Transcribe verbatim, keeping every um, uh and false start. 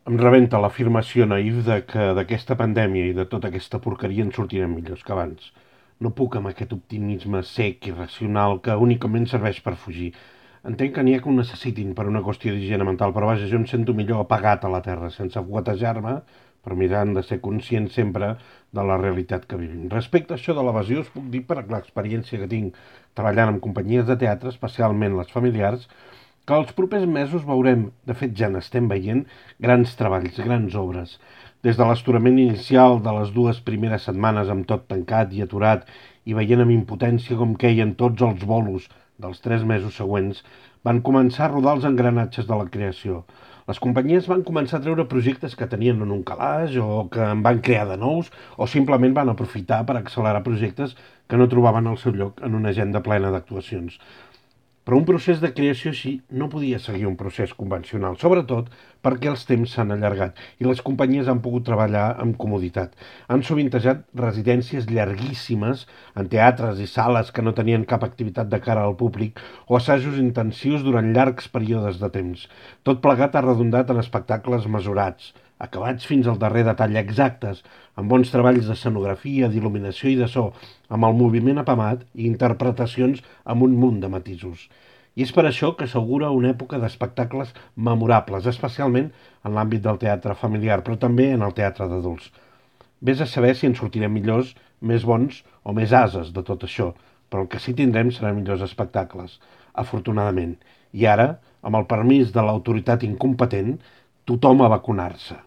Em rebenta l'afirmació naïf de que d'aquesta pandèmia i de tota aquesta porqueria en sortirem millors que abans. No puc amb aquest optimisme sec i racional que únicament serveix per fugir. Entenc que n'hi ha que ho necessitin per una qüestió d'higiene mental, però vaja, jo em sento millor apagat a la terra, sense fuetejar-me, però mirant de ser conscient sempre de la realitat que vivim. Respecte a això de l'evasió, us puc dir per l'experiència que tinc treballant amb companyies de teatre, especialment les familiars, que els propers mesos veurem, de fet ja n'estem veient, grans treballs, grans obres. Des de l'esturament inicial de les dues primeres setmanes amb tot tancat i aturat i veient amb impotència com queien tots els bolos dels tres mesos següents, van començar a rodar els engranatges de la creació. Les companyies van començar a treure projectes que tenien en un calaix o que en van crear de nous o simplement van aprofitar per accelerar projectes que no trobaven el seu lloc en una agenda plena d'actuacions. Però un procés de creació així no podia seguir un procés convencional, sobretot perquè els temps s'han allargat i les companyies han pogut treballar amb comoditat. Han sovintejat residències llarguíssimes en teatres i sales que no tenien cap activitat de cara al públic o assajos intensius durant llargs períodes de temps. Tot plegat ha redundat en espectacles mesurats, acabats fins al darrer detall exactes, amb bons treballs d'escenografia, d'il·luminació i de so, amb el moviment apamat i interpretacions amb un munt de matisos. I és per això que s'augura una època d'espectacles memorables, especialment en l'àmbit del teatre familiar, però també en el teatre d'adults. Ves a saber si en sortirem millors, més bons o més ases de tot això, però el que sí tindrem seran millors espectacles, afortunadament. I ara, amb el permís de l'autoritat incompetent, tothom a vacunar-se.